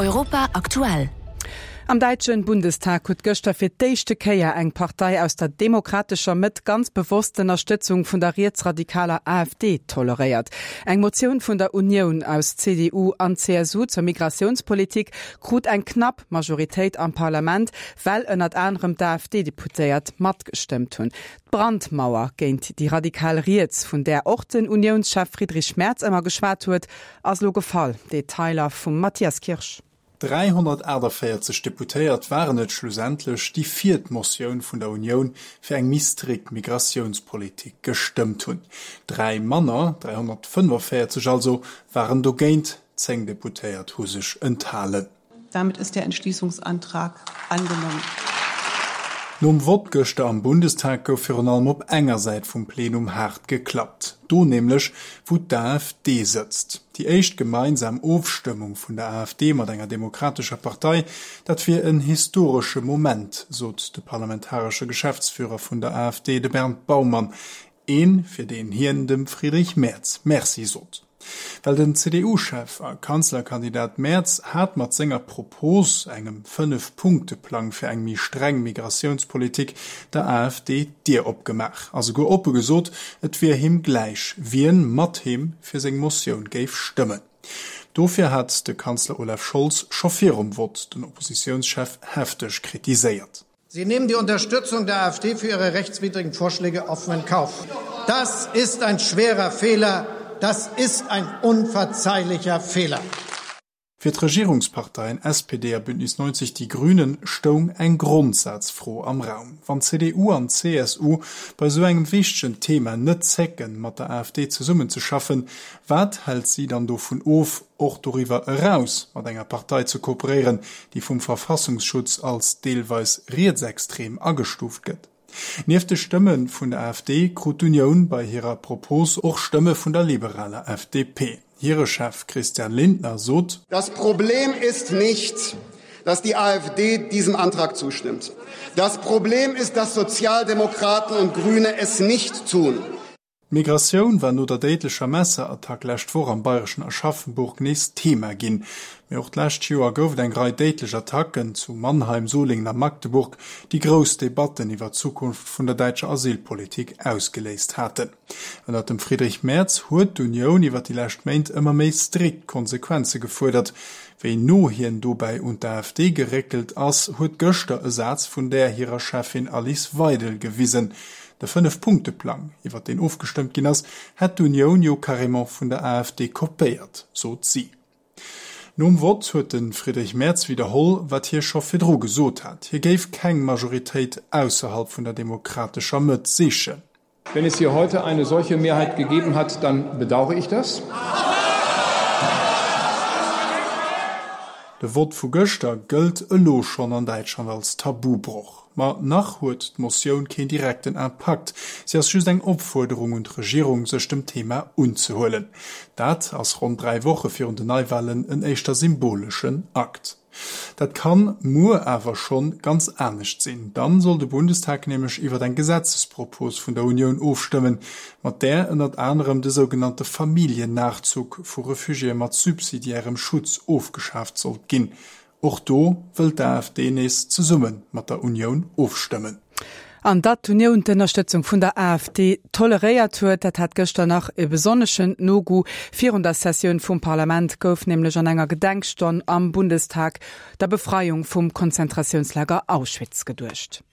Europa aktuell. Am däitschen Bundestag huet gëschter fir d'éischte Kéier eng Partei aus der demokratescher Mëtt ganz bewosst d'Ënnerstëtzung vun der rietsradikaler AfD toleréiert. Eng Motioun vun der Unioun aus CDU an CSU zur Migratiounspolitik krut eng knapp Majoritéit am Parlament, well ënnert anerem d'AfD-Deputéiert matgestëmmt hunn. D'Brandmauer géint déi radikal Riets, vun där och den Uniounschef Friedrich Merz ëmmer geschwat huet, ass elo gefall. Detailer vum Mathias Kirsch. 348 Deputéiert waren et schlussendlech, déi fir d'Motioun vun der Unioun fir eng méi strikt Migratiounspolitik gestëmmt hunn. 3 manner, 345 also, waren dogéint, 10 Deputéiert hu sech enthalen. Damit ist der Entschließungsantrag angenommen. Nom Vott gëschter am Bundestag gouf virun allem op enger Säit vum Plenum haart geklappt, do nämlech, wou d'AfD sëtzt. Déi éischt gemeinsam Ofstëmmung vun der AfD mat enger demokratescher Partei, dat wier en historesche Moment, sot de parlamentaresche Geschäftsführer vun der AfD, de Bernd Baumann. Een, fir deen hien dem Friedrich Merz Merci sot. Well den CDU-Chef a Kanzlerkandidat Merz hat mat senger Propos, engem Fënnef-Punkte-Plang fir eng méi streng Migratiounspolitik, der AfD d'Dier opgemaach a souguer oppe gesot, et wier him gläich, wien mat him fir seng Motioun géif stëmmen. Dofir hat de Kanzler Olaf Scholz scho virum Vott den Oppositiounschef hefteg kritiséiert. Sie nehmen die Unterstützung der AfD für ihre rechtswidrigen Vorschläge offen in Kauf. Das ist ein schwerer Fehler, das ist ein unverzeihlicher Fehler. Fir d'Regierungsparteien SPD a Bündnis 90 Die Grünen stoung eng Grondsazfro am Raum. Wann CDU an CSU bei esou engem wichtegen Thema net zécken, mat der AfD zesummenzeschaffen, wat hält si dann dovun of, och doriwwer eraus mat enger Partei ze kooperéieren, déi vum Verfassungsschutz als deelweis rietsextrem agestuuft gëtt. Nieft de Stëmme vun der AfD krut d'Unioun bei hirer Propos och Stëmme vun der liberaler FDP. Hire Chef Christian Lindner sot. Das Problem ist nicht, dass die AfD diesem Antrag zustimmt. Das Problem ist, dass Sozialdemokraten und Grüne es nicht tun. D'Migratioun war no der déidlecher Messerattack lescht Woch am bayreschen Aschaffenburg nees Thema ginn. Mee och d'lescht Joer gouf et eng Rei déidlech Attacken zu Mannheim, Solingen a Magdeburg, déi grouss Debatten iwwer d'Zukunft vun der däitscher Asylpolitik ausgeléist haten. Ënnert dem Friedrich Merz huet d'Unioun iwwer déi lescht Méint ëmmer méi strikt Konsequenze gefuerdert. Wéi no hien dobäi un d'AfD geréckelt ass, huet gëschter e Saz vun där hirer Cheffin Alice Weidel gewisen. De Fënnef-Punkte-Plang, iwwer deen ofgestëmmt ginn ass, hätt d'Unioun jo carrément vun der AfD kopéiert, sot si. Nom Vott huet de Friedrich Merz widderholl, wat hie scho virdru gesot hat, Hie géif keng Majoritéit ausserhalb vun der demokratescher Mëtt sichen. Wenn es hier heute eine solche Mehrheit gegeben hat, dann bedaure ich das. De Vott vu gëschter gëllt elo schonn an Däitschland als Tabubroch. Ma nach huet d'Motioun keen direkten Impakt, si ass just eng Opfuerderung un d'Regierung, sech dem Thema unzehuelen. Dat ass ronn 3 Woche virun den Neiwalen en éischter symboleschen Akt. Dat kann muer awer schonn ganz anescht sinn. Dann soll de Bundestag nämlech iwwer eng Gesetzespropos vun der Unioun ofstëmmen, mat där ënnert anerem de sougenannte Familljennachzug vu Refugiéë mat subsidiärem Schutz ofgeschaaft sollt ginn. Och do wëll d'AfD nees zesumme mat der Unioun ofstëmmen. An datt d'Unioun d'Ënnerstëtzung vun der AfD toleréiert huet, dat hat gëschter nach e besonneschen Nogoût. Virun der Sessioun vum Parlament gouf nämlech an enger Gedenkstonn am Bundestag der Befreiung vum Konzentratiounslager Auschwitz geduecht.